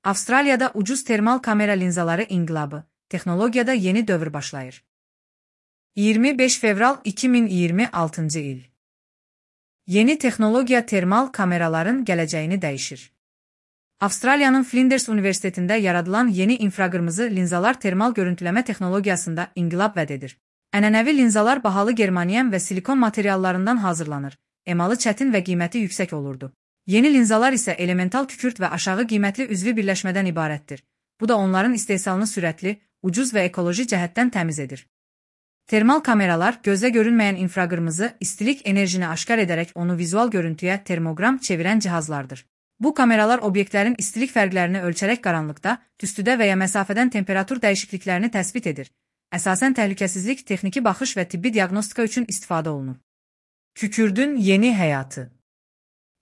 Avustraliyada ucuz termal kamera linzaları inqilabı, texnologiyada yeni dövr başlayır. 25 fevral 2026 il. Yeni texnologiya termal kameraların gələcəyini dəyişir. Avustraliyanın Flinders Universitetində yaradılan yeni infraqırmızı linzalar termal görüntüləmə texnologiyasında inqilab vəd edir. Ənənəvi linzalar bahalı germanium və silikon materiallarından hazırlanır, emalı çətin və qiyməti yüksək olurdu. Yeni linzalar isə elemental kükürt və aşağı qiymətli üzvi birləşmədən ibarətdir. Bu da onların istehsalını sürətli, ucuz və ekoloji cəhətdən təmiz edir. Termal kameralar gözə görünməyən infraqırmızı istilik enerjini aşkar edərək onu vizual görüntüyə termoqram çevirən cihazlardır. Bu kameralar obyektlərin istilik fərqlərini ölçərək qaranlıqda, tüstüdə və ya məsafədən temperatur dəyişikliklərini təsbit edir. Əsasən təhlükəsizlik, texniki baxış və tibbi diaqnostika üçün istifadə olunur. Kükürdün yeni həyatı.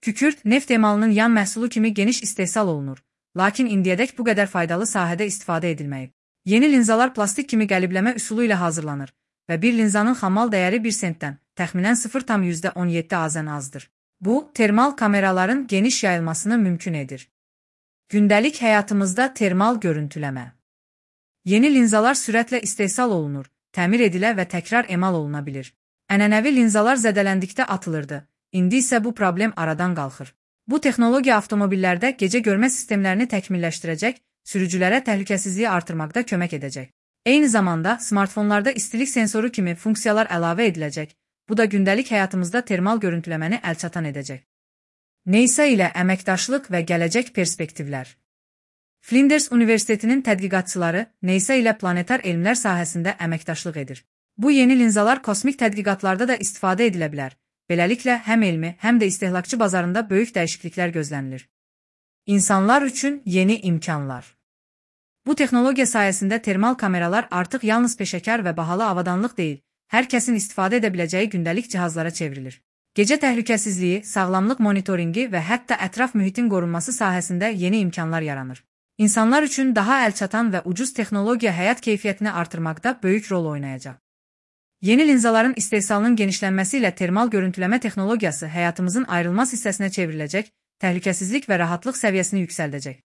Kükürt, neft emalının yan məhsulu kimi geniş istehsal olunur, lakin indiyədək bu qədər faydalı sahədə istifadə edilməyib. Yeni linzalar plastik kimi qəlibləmə üsulu ilə hazırlanır və bir linzanın xamal dəyəri 1 sentdən, təxminən 0,17 azən azdır. Bu, termal kameraların geniş yayılmasını mümkün edir. Gündəlik həyatımızda termal görüntüləmə. Yeni linzalar sürətlə istehsal olunur, təmir edilə və təkrar emal oluna bilir. Ənənəvi linzalar zədələndikdə atılırdı, indi isə bu problem aradan qalxır. Bu texnologiya avtomobillərdə gecə görmə sistemlərini təkmilləşdirəcək, sürücülərə təhlükəsizliyi artırmaqda kömək edəcək. Eyni zamanda, smartfonlarda istilik sensoru kimi funksiyalar əlavə ediləcək, bu da gündəlik həyatımızda termal görüntüləməni əlçatan edəcək. NASA ilə əməkdaşlıq və gələcək perspektivlər. Flinders Universitetinin tədqiqatçıları NASA ilə planetar elmlər sahəsində əməkdaşlıq edir. Bu yeni linzalar kosmik tədqiqatlarda da istifadə edilə bilər. Beləliklə, həm elmi, həm də istehlakçı bazarında böyük dəyişikliklər gözlənilir. İnsanlar üçün yeni imkanlar. Bu texnologiya sayəsində termal kameralar artıq yalnız peşəkar və bahalı avadanlıq deyil, hər kəsin istifadə edə biləcəyi gündəlik cihazlara çevrilir. Gecə təhlükəsizliyi, sağlamlıq monitoringi və hətta ətraf mühitin qorunması sahəsində yeni imkanlar yaranır. İnsanlar üçün daha əlçatan və ucuz texnologiya həyat keyfiyyətini artırmaqda böyük rol oynayacaq. Yeni linzaların istehsalının genişlənməsi ilə termal görüntüləmə texnologiyası həyatımızın ayrılmaz hissəsinə çevriləcək, təhlükəsizlik və rahatlıq səviyyəsini yüksəldəcək.